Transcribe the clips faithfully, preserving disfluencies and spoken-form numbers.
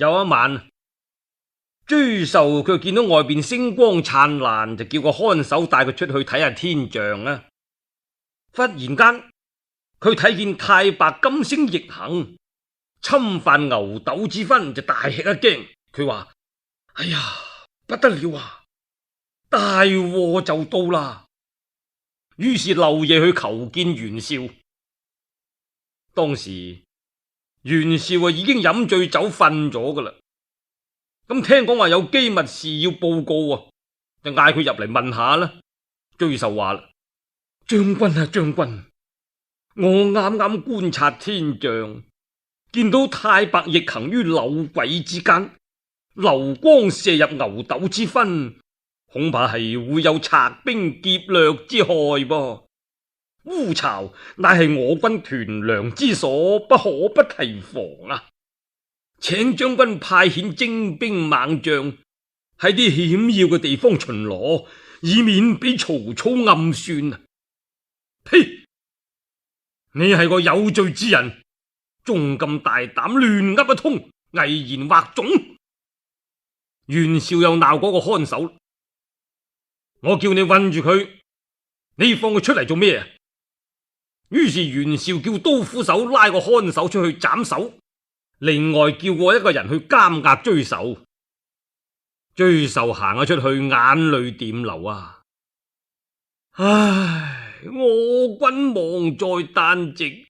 有一晚，追壽佢見到外邊星光燦爛，就叫個看守帶佢出去睇下天象啊。忽然間，佢睇見太白金星逆行，侵犯牛斗之分，就大吃一驚。佢話：哎呀，不得了啊！大禍就到啦！於是漏夜去求見袁紹。當時袁紹啊已經飲醉酒瞓咗噶啦。咁聽講話有機密事要報告啊，就嗌佢入嚟問下啦。追壽話啦：將軍啊將軍，我啱啱觀察天象，見到太白逆行於柳癸之間，流光射入牛斗之分，恐怕係會有賊兵劫掠之害噃。烏巢乃係我軍屯糧之所，不可不提防啊！請將軍派遣精兵猛將喺啲險要嘅地方巡邏，以免俾曹操暗算啊！呸！你係個有罪之人，仲咁大膽亂噏一通，危言惑眾。袁紹又鬧嗰個看守：我叫你韞住佢，你放佢出嚟做咩啊？於是袁紹叫刀斧手拉個看守出去斬首，另外叫過一個人去監押追壽。追壽行咗出去，眼淚點流啊！唉，我軍亡在旦夕，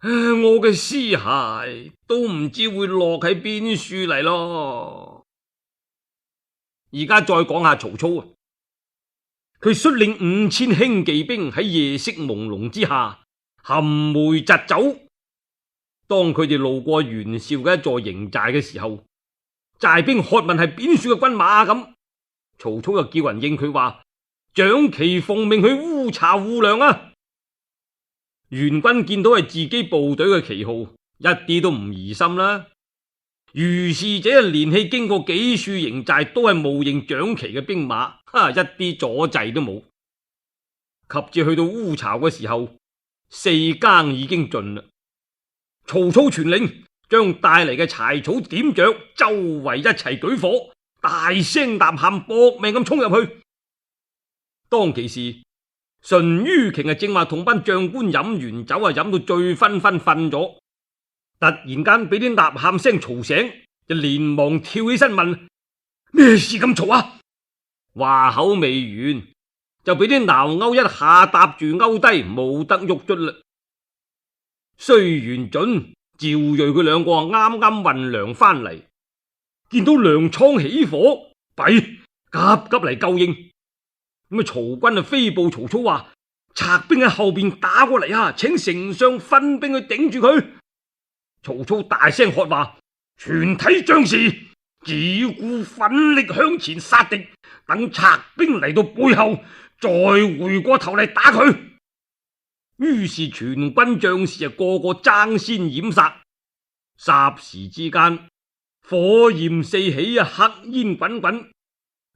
我嘅屍骸都唔知會落喺邊處嚟咯。而家再講下曹操啊，佢率領五千輕騎兵喺夜色朦朧之下含梅疾走。當佢哋路過袁紹嘅一座營寨嘅時候，寨兵喝問係邊處嘅軍馬咁，曹操又叫人應佢話：長旗奉命去烏巢護糧啊！袁軍見到係自己部隊嘅旗號，一啲都唔疑心啦。如是者連氣經過幾處營寨，都係冒認長旗嘅兵馬，哈，一啲阻滯都冇。及至去到烏巢嘅時候，四更已經盡啦。曹操傳令，將帶嚟嘅柴草點着，周圍一齊舉火，大聲吶喊，搏命咁衝入去。當其時，淳于瓊啊正話同班將官飲完酒啊，飲到醉醺醺瞓咗，突然間俾啲吶喊聲嘈醒，就連忙跳起身問：咩事咁嘈啊？話口未完，就俾啲撓鈎一下搭住勾低，冇得喐卒啦。須元準、趙睿佢兩個啱啱運糧翻嚟，見到糧倉起火，弊，急急嚟救應。咁啊，曹軍啊飛報曹操話：賊兵喺後邊打過嚟啊，請丞相分兵去頂住佢。曹操大聲喝話：全體將士，只顧奮力向前殺敵，等賊兵嚟到背後，再回過頭嚟打佢。於是全軍將士啊個個爭先掩殺，霎時之間火焰四起啊，黑煙滾滾。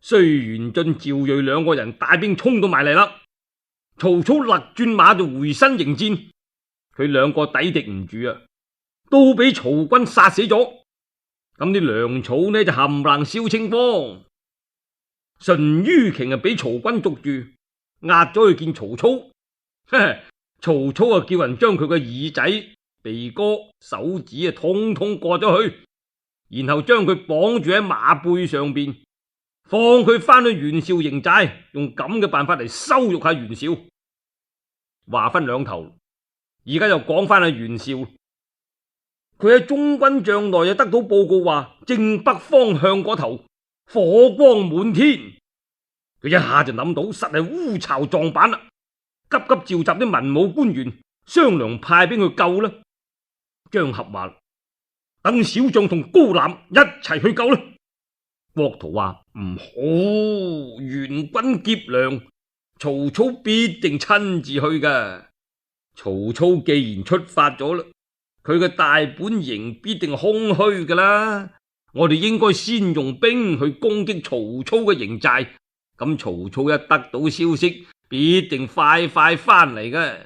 雖元俊、趙睿兩個人帶兵衝到埋嚟啦，曹操勒轉馬就回身迎戰，佢兩個抵敵唔住啊，都俾曹軍殺死咗。咁啲糧草呢就冚唪唥燒清光。淳于瓊啊俾曹軍捉住，押咗去見曹操。呵呵，曹操啊叫人將佢個耳仔、鼻哥、手指啊通通割咗去，然後將佢綁住喺馬背上邊，放佢翻去袁紹營寨，用咁嘅辦法嚟羞辱下袁紹。話分兩頭，而家又講翻阿袁紹，佢喺中軍帳內又得到報告話，正北方向嗰頭火光滿天。佢一下就諗到實係烏巢撞板啦，急急召集啲文武官員商量派兵去救啦。張合話：等小將同高覽一齊去救啦。郭圖話：唔好，袁軍劫糧，曹操必定親自去㗎。曹操既然出發咗啦，佢嘅大本營必定空虛㗎啦。我哋應該先用兵去攻擊曹操嘅營寨，咁曹操一得到消息，必定快快翻嚟㗎。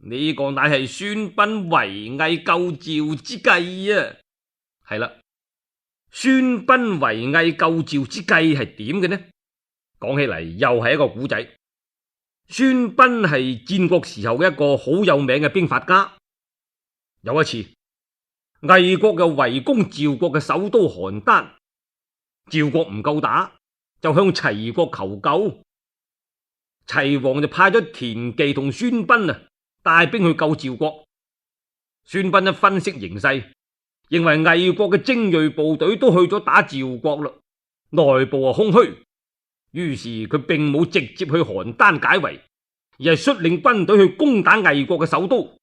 呢個乃係孫臏圍魏救趙之計啊！係啦，孫臏圍魏救趙之計係點嘅呢？講起嚟又係一個古仔。孫臏係戰國時候嘅一個好有名嘅兵法家。有一次，魏國又圍攻趙國嘅首都邯鄲，趙國唔夠打，就向齊國求救。齊王就派咗田忌同孫臏啊帶兵去救趙國。孫臏一分析形勢，認為魏國嘅精銳部隊都去咗打趙國啦，內部啊空虛，於是佢並冇直接去邯鄲解圍，而係率領軍隊去攻打魏國嘅首都。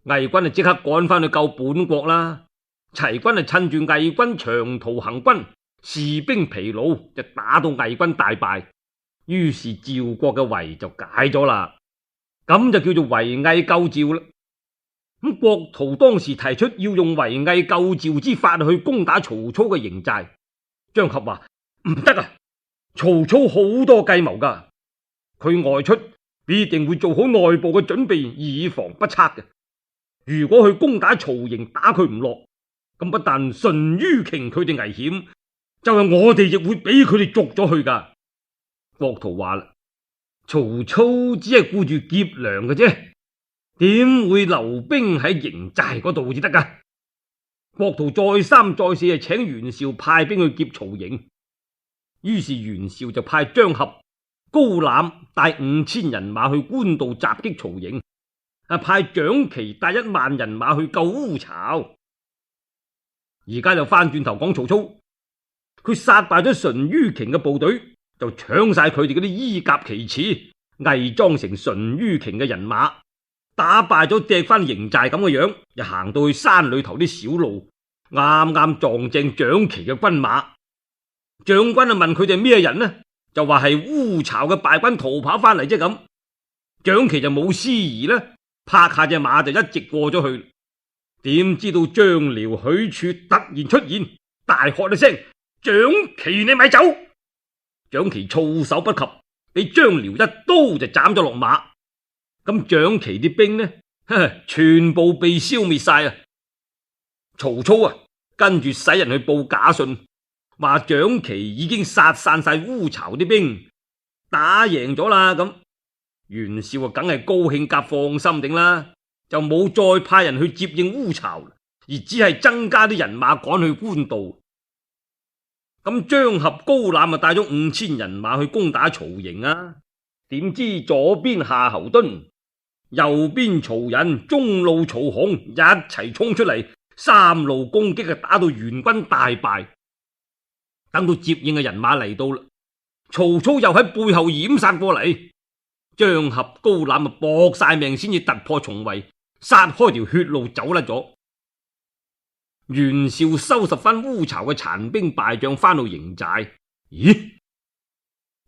魏軍就即刻趕翻去救本國啦。齊軍就趁住魏軍長途行軍，士兵疲勞，就打到魏軍大敗。於是趙國嘅圍就解咗啦，咁就叫做圍魏救趙啦。咁郭圖當時提出要用圍魏救趙之法去攻打曹操嘅營寨，張合話唔得啊！曹操好多計謀噶，佢外出必定會做好內部嘅準備，以防不測嘅。如果去攻打曹營，打佢唔落，咁不但淳于瓊佢哋危險，就係我哋亦會俾佢哋捉咗去噶。郭圖話啦，曹操只係顧住劫糧嘅啫，點會留兵喺營寨嗰度至得噶？郭圖再三再四係請袁紹派兵去劫曹營，於是袁紹就派張合、高覽帶五千人馬去官渡襲擊曹營，啊派蔣琦帶一萬人馬去救烏巢。而家就翻轉頭講曹操，佢殺敗咗淳于瓊嘅部隊，就搶晒佢哋嗰啲衣甲旗幟，偽裝成淳于瓊嘅人馬，打敗咗掟翻營寨咁嘅樣，又行到去山裏頭啲小路，啱啱撞正蔣琦嘅軍馬。將軍啊問佢哋咩人呢？就話係烏巢嘅敗軍逃跑翻嚟啫咁。蔣琦就冇思疑啦，拍下隻馬就一直過咗去。點知道張遼、許褚突然出現，大喝一聲：蔣琦你咪走！蔣琦措手不及，俾張遼一刀就斬咗落馬。咁蔣琦啲兵呢，全部被消滅晒啊！曹操啊，跟住使人去報假信，話蔣琦已經殺散晒烏巢啲兵，打贏咗啦。咁袁紹啊，梗係高興夾放心定啦，就冇再派人去接應烏巢，而只係增加啲人馬趕去官渡。咁張合、高覽啊帶咗五千人馬去攻打曹營啊，點知左邊夏侯惇、右邊曹仁、中路曹洪一齊衝出嚟，三路攻擊啊，打到援軍大敗。等到接應嘅人馬嚟到啦，曹操又喺背後掩殺過嚟，張合、高覽啊搏晒命先至突破重圍，殺開條血路走甩咗。袁紹收拾翻烏巢嘅殘兵敗將翻到營寨，咦？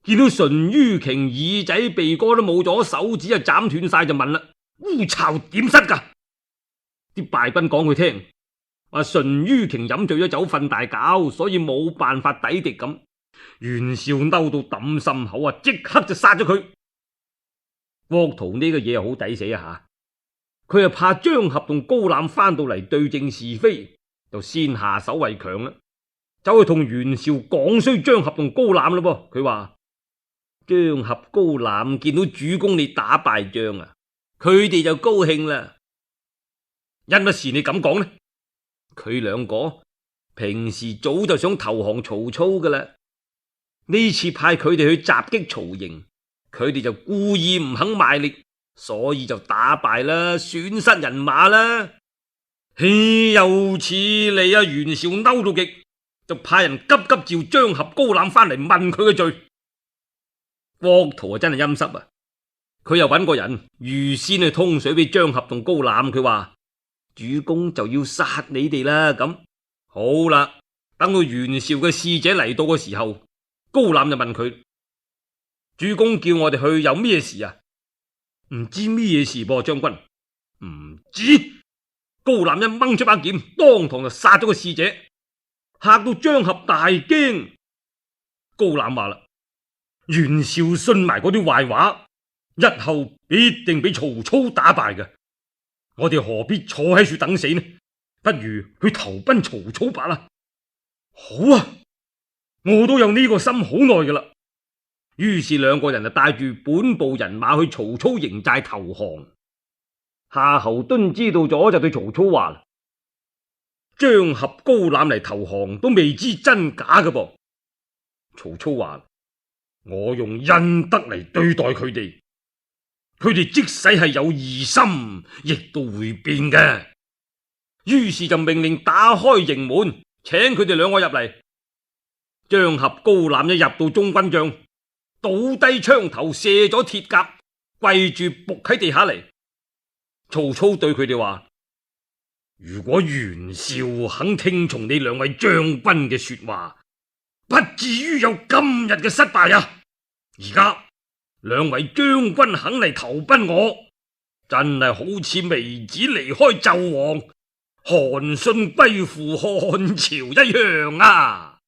見到淳于瓊耳仔鼻哥都冇咗，手指啊斬斷晒，就問啦：烏巢點失噶？啲敗軍講佢聽，話淳于瓊飲醉咗酒瞓大覺，所以冇辦法抵敵咁。袁紹嬲到抌心口啊，即刻就殺咗佢。郭圖呢個嘢好抵死啊吓！佢又怕張合同高覽翻到嚟對證是非，就先下手為強啦，走去同袁紹講衰張合同高覽啦噃。佢話張合、高覽見到主公你打敗仗啊，佢哋就高興啦。因乜事你咁講呢？佢兩個平時早就想投降曹操噶啦，呢次派佢哋去襲擊曹營，佢哋就故意唔肯賣力，所以就打敗啦，損失人馬啦。豈有此理啊！袁紹嬲到極，就派人急急召張合、高覽翻嚟問佢嘅罪。郭圖啊真係陰濕啊！佢又揾個人預先去通水俾張合同高覽，佢話主公就要殺你哋啦。咁好啦，等到袁紹嘅使者嚟到嘅時候，高覽就問佢：主公叫我哋去有咩事啊？唔知咩事噃，將軍。唔知。高覽一掹出把劍，當堂就殺咗個使者，嚇到張合大驚。高覽話啦：袁紹信埋嗰啲壞話，日後必定俾曹操打敗嘅。我哋何必坐喺處等死呢？不如去投奔曹操吧啦。好啊，我都有呢個心好耐噶啦。於是兩個人就帶住本部人馬去曹操營寨投降。夏侯惇知道咗就對曹操話：張合、高覽嚟投降都未知真假噶噃。曹操話：我用恩德嚟對待佢哋，佢哋即使係有異心，亦都會變嘅。於是就命令打開營門，請佢哋兩個入嚟。張合、高覽一入到中軍帳，倒低槍頭，卸咗鐵甲，跪住伏喺地下嚟。曹操對佢哋話：如果袁紹肯聽從你兩位將軍嘅說話，不至於有今日嘅失敗啊！而家兩位將軍肯嚟投奔我，真係好似微子離開紂王，韓信歸附漢朝一樣啊！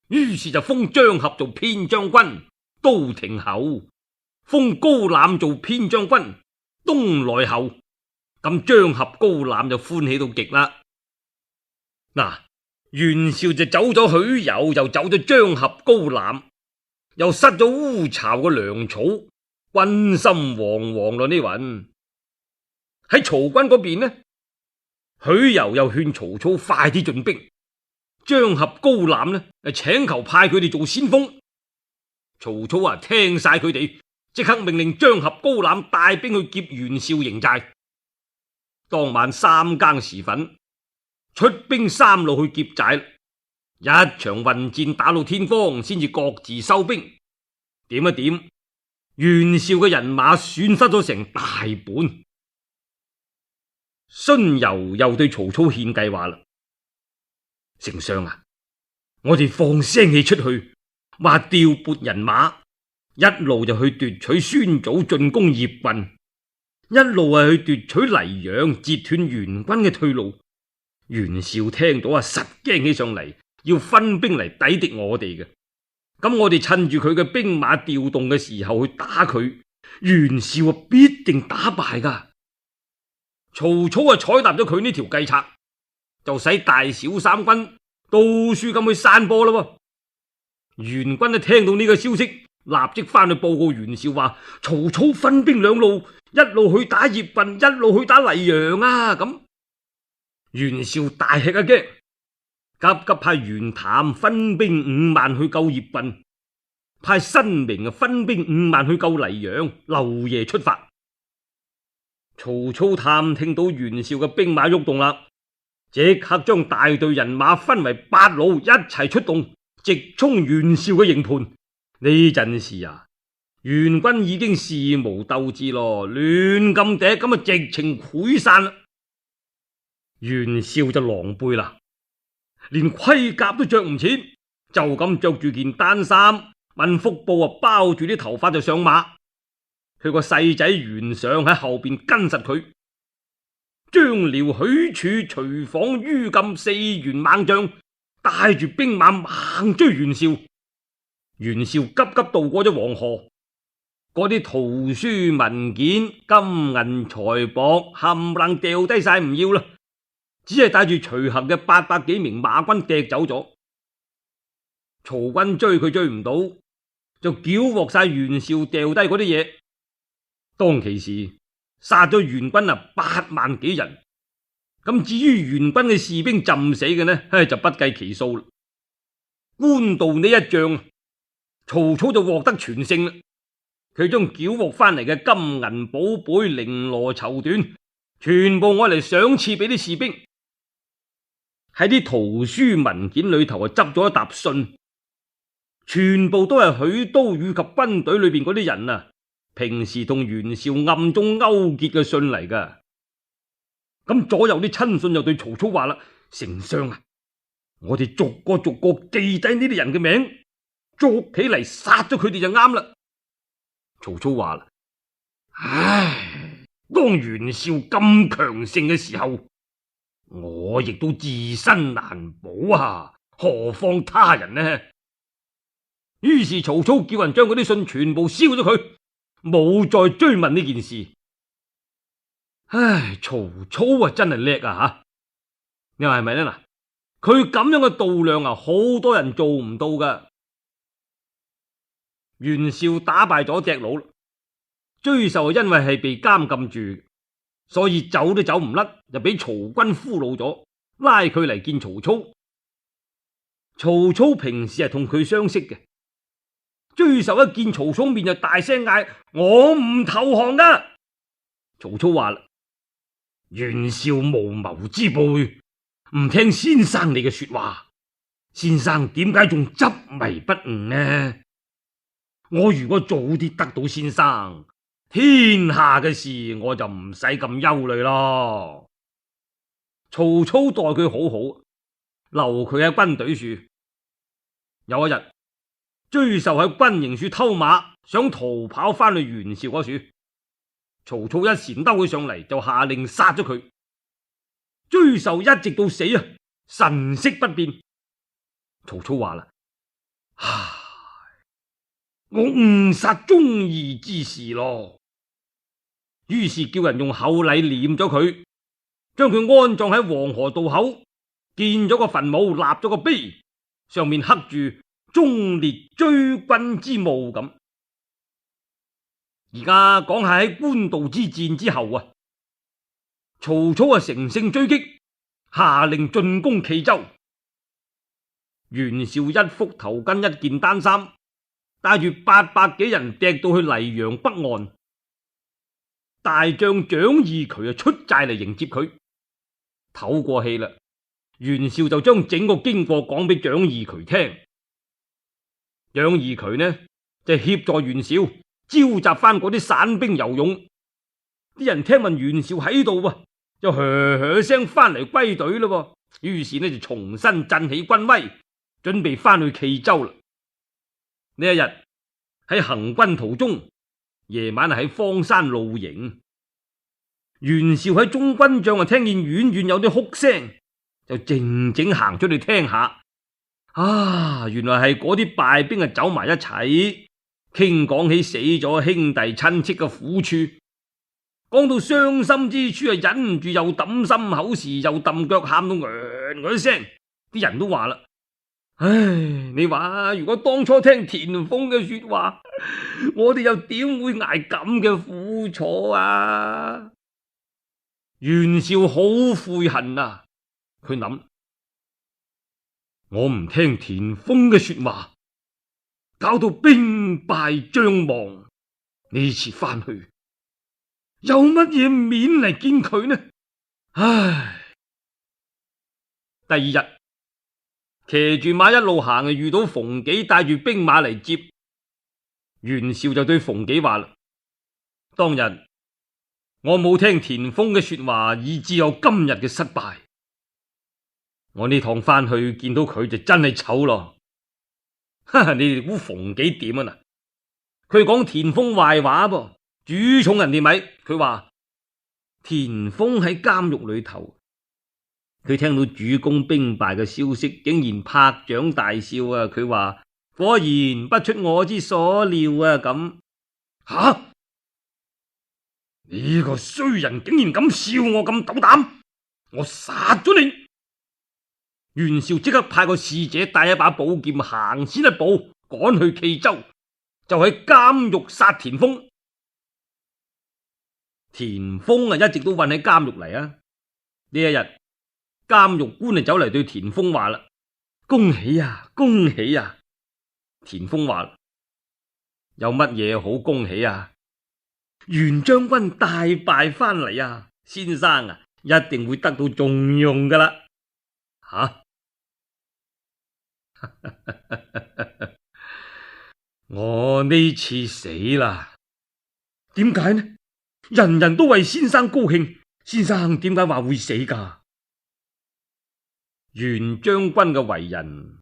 於是就封張合做偏將軍、都亭侯，封高覽做偏將軍、東萊侯。咁張合、高覽就歡喜到極啦。嗱，袁紹就走咗許攸，又走咗張合、高覽，又失咗烏巢嘅糧草，軍心惶惶咯。呢云喺曹軍嗰邊呢，許攸又勸曹操快啲進兵，張合、高覽呢請求派佢哋做先鋒。曹操啊聽晒佢哋，即刻命令張合、高覽帶兵去劫袁紹營寨。當晚三更時分，出兵三路去劫寨，一場混戰打到天光，先至各自收兵。點一點，袁紹嘅人馬損失咗成大半。荀攸又對曹操獻計話啦：丞相啊，我哋放聲氣出去，話調撥人馬，一路就去奪取孫祖進攻鄴郡，一路係去奪取黎陽，截斷袁軍嘅退路。袁紹聽到啊，實驚起上嚟，要分兵嚟抵敵我哋嘅。咁我哋趁住佢嘅兵馬調動嘅時候去打佢，袁紹啊必定打敗噶。曹操啊採納咗佢呢條計策，就使大小三軍到處咁去散播啦。袁軍一聽到呢個消息，立即翻去報告袁紹話：曹操分兵兩路，一路去打鄴郡，一路去打黎陽啊！咁袁紹大吃一驚，急急派袁譚分兵五萬去救鄴郡，派申明啊分兵五萬去救黎陽，漏夜出發。曹操探聽到袁紹嘅兵馬喐動啦，即刻將大隊人馬分為八路，一齊出動，直衝袁紹嘅營盤。呢陣時啊，袁軍已經事無鬥志咯，亂咁嗲咁啊，直情潰散啦。袁紹就狼狽啦，連盔甲都着唔切，就咁着住件單衫，問腹部啊包住啲頭髮就上馬。佢個細仔袁尚喺後邊跟實佢，張遼、許褚、徐晃、于禁四員猛將帶住兵馬猛追袁紹。袁紹急急渡過咗黃河，嗰啲圖書文件、金銀財寶冚唪唥掉低晒唔要啦，只係帶住隨行嘅八百幾名馬軍趯走咗。曹軍追佢追唔到，就繳獲晒袁紹掉低嗰啲嘢。當其時殺咗袁軍啊八萬幾人，咁至於袁軍嘅士兵浸死嘅呢，唉就不計其數啦。官渡呢一仗，曹操就獲得全勝啦。佢將繳獲翻嚟嘅金銀寶貝、綾羅綢緞，全部攞嚟賞賜俾啲士兵。喺啲圖書文件裏頭啊，執咗一沓信，全部都係許都以及軍隊裏邊嗰啲人啊，平時同袁紹暗中勾結嘅信嚟噶。咁左右啲親信又對曹操話啦：丞相啊，我哋逐個逐個記低呢啲人嘅名，捉起嚟殺咗佢哋就啱啦。曹操話啦：唉，當袁紹咁強盛嘅時候，我亦都自身難保啊，何況他人呢？於是曹操叫人將嗰啲信全部燒咗佢，冇再追問呢件事。唉，曹操啊真係叻啊吓！你話係咪咧？嗱，佢咁樣嘅度量啊，好多人做唔到噶。袁紹打敗咗隻佬，沮授因為係被監禁住，所以走都走唔甩，就俾曹軍俘虜咗，拉佢嚟見曹操。曹操平時係同佢相識嘅，沮授一見曹操面就大聲嗌：我唔投降噶！曹操話啦：袁紹無謀之輩，唔聽先生你嘅說話，先生點解仲執迷不悟呢？我如果早啲得到先生，天下嘅事我就唔使咁憂慮咯。曹操待佢好好，留佢喺軍隊處。有一日，沮授喺軍營處偷馬，想逃跑翻去袁紹嗰處。曹操一纏兜佢上嚟，就下令殺咗佢。沮授一直到死啊，神色不變。曹操話啦：唉，我誤殺忠義之士咯。於是叫人用厚禮殮咗佢，將佢安葬喺黃河渡口，建咗個墳墓，立咗個碑，上面刻住忠烈追軍之墓咁。而家講下喺官渡之戰之後啊，曹操啊乘勝追擊，下令進攻冀州。袁紹一幅頭巾一件單衫，帶住八百幾人趯到去黎陽北岸。大將蔣義渠啊出寨嚟迎接佢。唞過氣啦，袁紹就將整個經過講俾蔣義渠聽。蔣義渠呢就協助袁紹召集翻嗰啲散兵游勇。啲人聽聞袁紹喺度啊，就噓噓聲翻嚟歸隊咯。於是呢就重新振起軍威，準備翻去冀州啦。呢一日喺行軍途中，夜晚喺荒山露營。袁紹喺中軍帳啊，聽見遠遠有啲哭聲，就靜靜行出去聽下。啊，原來係嗰啲敗兵啊走埋一齊，傾講起死咗兄弟親戚嘅苦處，講到傷心之處啊，忍唔住又抌心口時，又揼腳喊到呃呃聲。啲人都話啦：唉，你話如果當初聽田豐嘅說話，我哋又點會捱咁嘅苦楚啊？袁紹好悔恨啊！佢諗：我唔聽田豐嘅說話，搞到兵敗將亡，呢次翻去有乜嘢面嚟見佢呢？唉！第二日，騎住馬一路行，遇到馮紀帶住兵馬嚟接。袁紹就對馮紀話啦：當日我冇聽田豐嘅說話，以致有今日嘅失敗。我呢趟翻去見到佢就真係醜咯。哈哈，你哋估馮紀點啊？嗱，佢講田豐壞話噃，主寵人哋咪。佢話田豐喺監獄裏頭，佢聽到主公兵敗嘅消息，竟然拍掌大笑啊！佢話果然不出我之所料啊！咁吓？呢個衰人竟然咁笑我咁斗膽，我殺咗你！袁紹即刻派個使者帶一把寶劍，行先一步趕去冀州，就喺監獄殺田豐。田豐啊一直都困喺監獄嚟啊！呢一日監獄官就走嚟對田豐話啦：恭喜啊，恭喜啊！田豐話：有乜嘢好恭喜啊？袁將軍大敗翻嚟啊！先生啊，一定會得到重用噶啦！吓、啊！我呢次死啦！點解呢？人人都為先生高興，先生點解話會死噶？袁將軍嘅為人，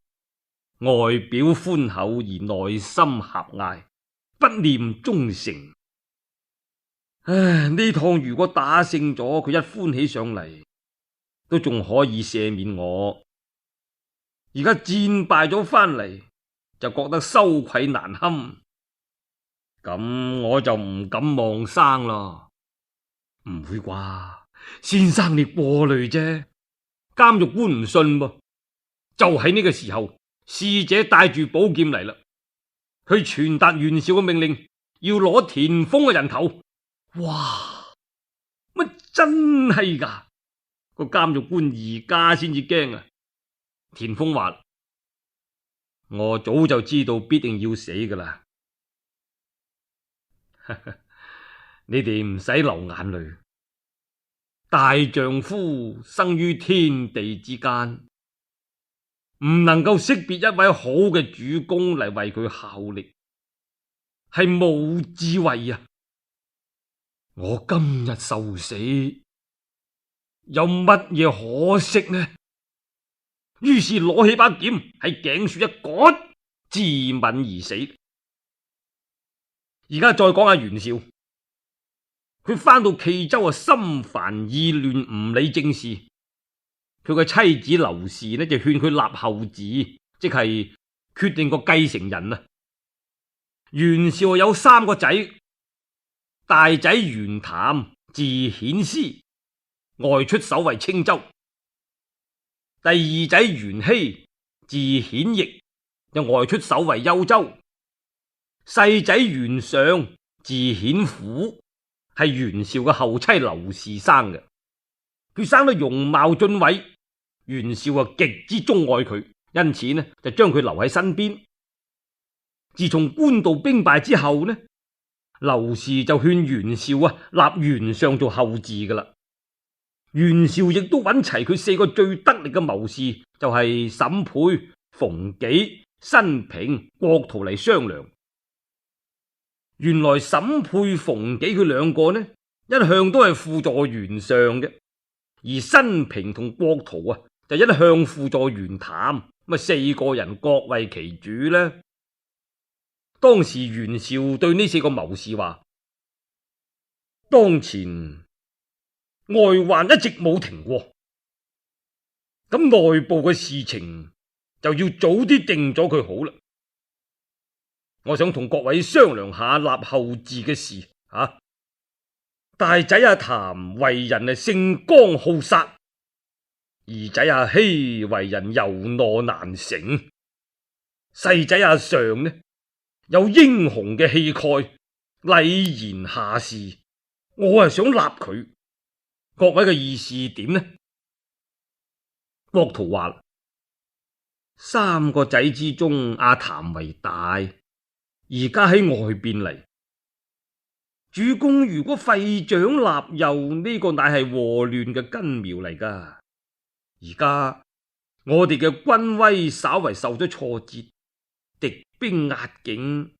外表寬厚而內心狹隘，不念忠誠。唉，呢趟如果打勝咗，佢一歡喜上嚟，都仲可以赦免我。而家戰敗咗翻嚟，就覺得羞愧難堪，咁我就唔敢望生咯。唔會啩？先生你過慮啫。監獄官唔信噃，就喺呢個時候，侍者帶住寶劍嚟啦，去傳達袁紹嘅命令，要攞田豐嘅人頭。哇！乜真係噶？個監獄官而家先至驚啊！田豐話：我早就知道必定要死噶啦，你哋唔使流眼淚。大丈夫生於天地之間，唔能夠識別一位好嘅主公嚟為佢效力，係冇智慧啊！我今日受死，有乜嘢可惜呢？於是攞起把劍喺頸處一割，自刎而死。而家再講下袁紹。佢翻到冀州啊，心煩意亂，唔理政事。佢個妻子劉氏呢就勸佢立後嗣，即係決定個繼承人啊。袁紹有三個仔，大仔袁譚字顯師，外出守衛青州；第二仔袁熙字顯翼，又外出守衛幽州；細仔袁尚字顯虎，係袁紹嘅後妻劉氏生嘅。佢生得容貌俊偉，袁紹啊極之鍾愛佢，因此呢就將佢留喺身邊。自從官渡兵敗之後呢，劉氏就勸袁紹啊立袁尚做後嗣噶啦。袁紹亦都揾齊佢四個最得力嘅謀士，就係審配、馮紀、辛平、郭圖嚟商量。原來審配、馮紀佢兩個呢，一向都係輔助袁尚嘅，而辛平同郭圖啊，就一向輔助袁譚。咁啊，四個人各為其主呢。當時袁紹對呢四個謀士話：當前外患一直冇停過，咁內部嘅事情就要早啲定咗佢好啦。我想同各位商量下立後嗣嘅事啊。大仔阿譚為人啊性剛好殺，二仔阿希為人柔懦難成，細仔阿尚呢有英雄嘅氣概，禮賢下士，我係想立佢。各位嘅意思點呢？郭圖話：三個仔之中，阿譚為大。而家喺外邊嚟，主公如果廢長立幼，呢、這個乃係禍亂嘅根苗嚟噶。而家我哋嘅軍威稍為受咗挫折，敵兵壓境，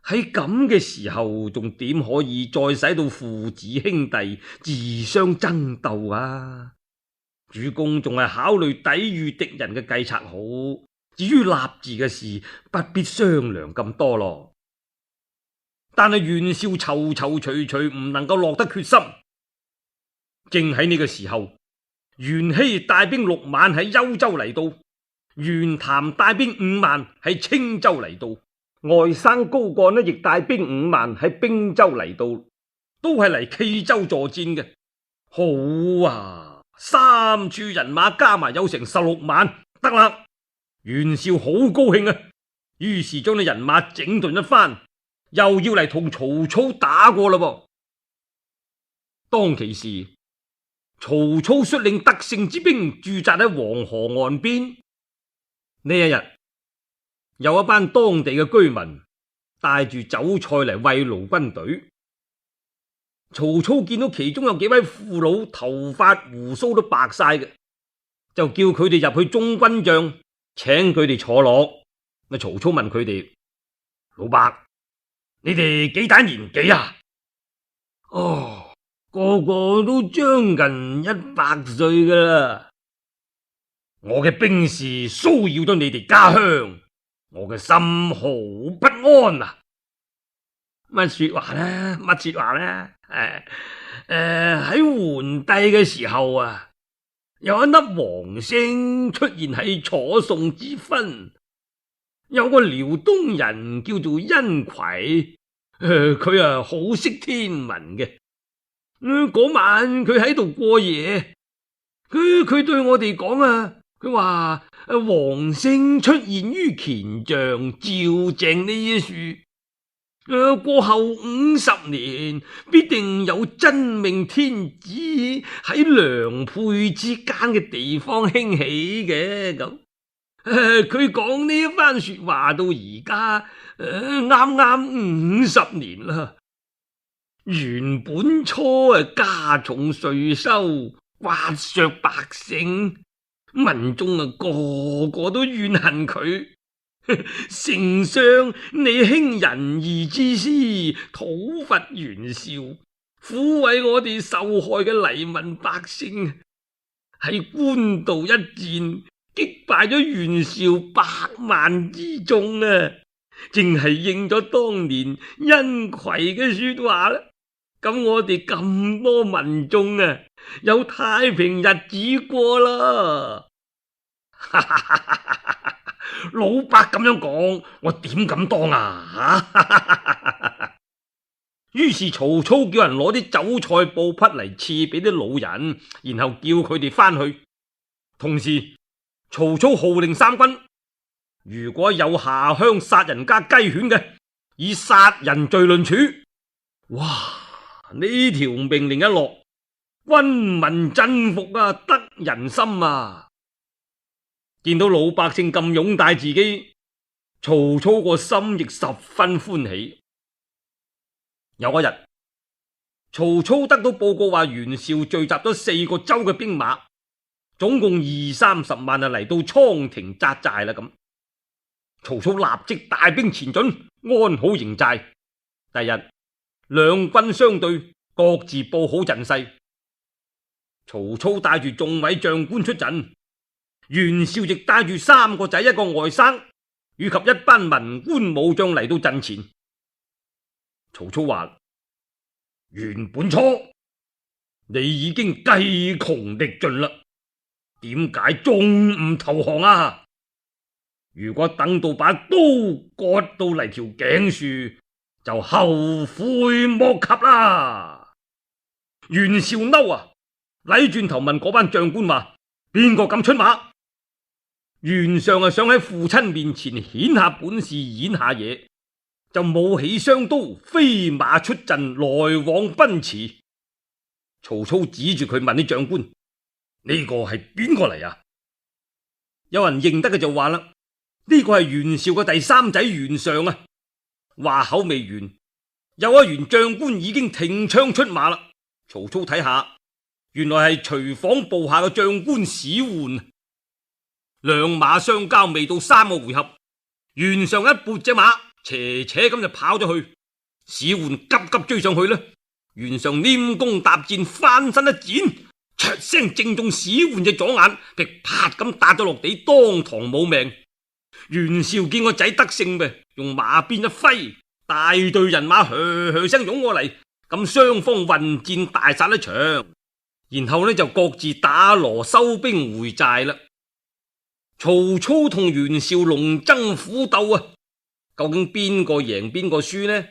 喺咁嘅時候，仲點可以再使到父子兄弟自相爭鬥啊？主公仲係考慮抵禦敵人嘅計策好。至於立嗣嘅事，不必商量咁多咯。但係袁紹躊躊躇躇，唔能夠落得決心。正喺呢個時候，袁熙帶兵六萬喺幽州嚟到，袁譚帶兵五萬喺青州嚟到，外甥高幹呢亦帶兵五萬喺兵州嚟到，都係嚟冀州助戰嘅。好啊，三處人馬加埋有成十六萬，得啦。袁紹好高興啊，於是將啲人馬整頓一番，又要嚟同曹操打過啦噃。當其時，曹操率領得勝之兵駐紮喺黃河岸邊。呢一日，有一班當地嘅居民帶住酒菜嚟慰勞軍隊。曹操見到其中有幾位父老頭髮鬍鬚都白晒嘅，就叫佢哋入去中軍帳，請佢哋坐落。曹操問佢哋：老伯，你哋幾大年紀啊？哦，個個都將近一百歲噶啦。我嘅兵士騷擾咗你哋家鄉，我嘅心好不安啊！乜說話呢？乜說話呢？誒誒，喺桓帝嘅時候啊，有一粒王星出現喺楚宋之分，有個遼東人叫做殷馗，誒佢啊好識天文嘅。嗰、呃、晚佢喺度過夜，佢佢對我哋講啊，佢話王聖出現於乾象，照正呢一樹。誒，過後五十年，必定有真命天子喺良配之間嘅地方興起嘅咁。佢講呢一番說話到而家，誒，啱啱五十年啦。原本初啊加重稅收，刮削百姓，民眾啊個個都怨恨佢。丞相，你興仁義之師，討伐袁紹，撫慰我哋受害嘅黎民百姓，喺官渡一戰擊敗咗袁紹百萬之眾啊！正係應咗當年殷馗嘅說話啦。咁我哋咁多民眾啊，有太平日子過啦。老伯咁樣講，我點敢當啊？於是曹操叫人攞啲酒菜布匹嚟賜俾啲老人，然後叫佢哋翻去。同時，曹操號令三軍，如果有下鄉殺人家雞犬嘅，以殺人罪論處。哇！呢條命令一落，軍民振服啊，得人心啊！見到老百姓咁擁戴自己，曹操個心亦十分歡喜。有一日，曹操得到報告話袁紹聚集咗四個州嘅兵馬，總共二三十萬啊，嚟到倉亭紮寨啦。咁曹操立即帶兵前進，安好營寨。第日兩軍相對，各自佈好陣勢。曹操帶住眾位將官出陣。袁紹亦帶住三個仔一個外甥，以及一班文官武將嚟到陣前。曹操話：袁本初，你已經計窮力盡啦，點解仲唔投降啊？如果等到把刀割到嚟條頸樹，就後悔莫及啦。袁紹嬲啊，禮轉頭問嗰班將官話：邊個敢出馬？袁尚啊，想喺父親面前顯下本事，演下嘢，就舞起雙刀，飛馬出陣，來往奔馳。曹操指住佢問啲將官：呢個係邊個嚟啊？有人認得嘅就話啦：呢個係袁紹嘅第三仔袁尚啊！話口未完，有一員將官已經挺槍出馬啦。曹操睇下，原來係隨訪部下嘅將官史渙。兩馬相交未到三個回合，袁尚一撥隻馬，斜斜咁就跑咗去。史渙急急追上去啦。袁尚拈弓搭箭，翻身一箭，唰聲正中史渙隻左眼，劈啪咁打咗落地，當堂冇命。袁紹見個仔得勝咪，用馬鞭一揮，大隊人馬噓噓聲湧過嚟，咁雙方混戰大殺一場，然後呢就各自打鑼收兵回寨啦。曹操同袁紹龍爭虎鬥啊，究竟邊個贏邊個輸呢？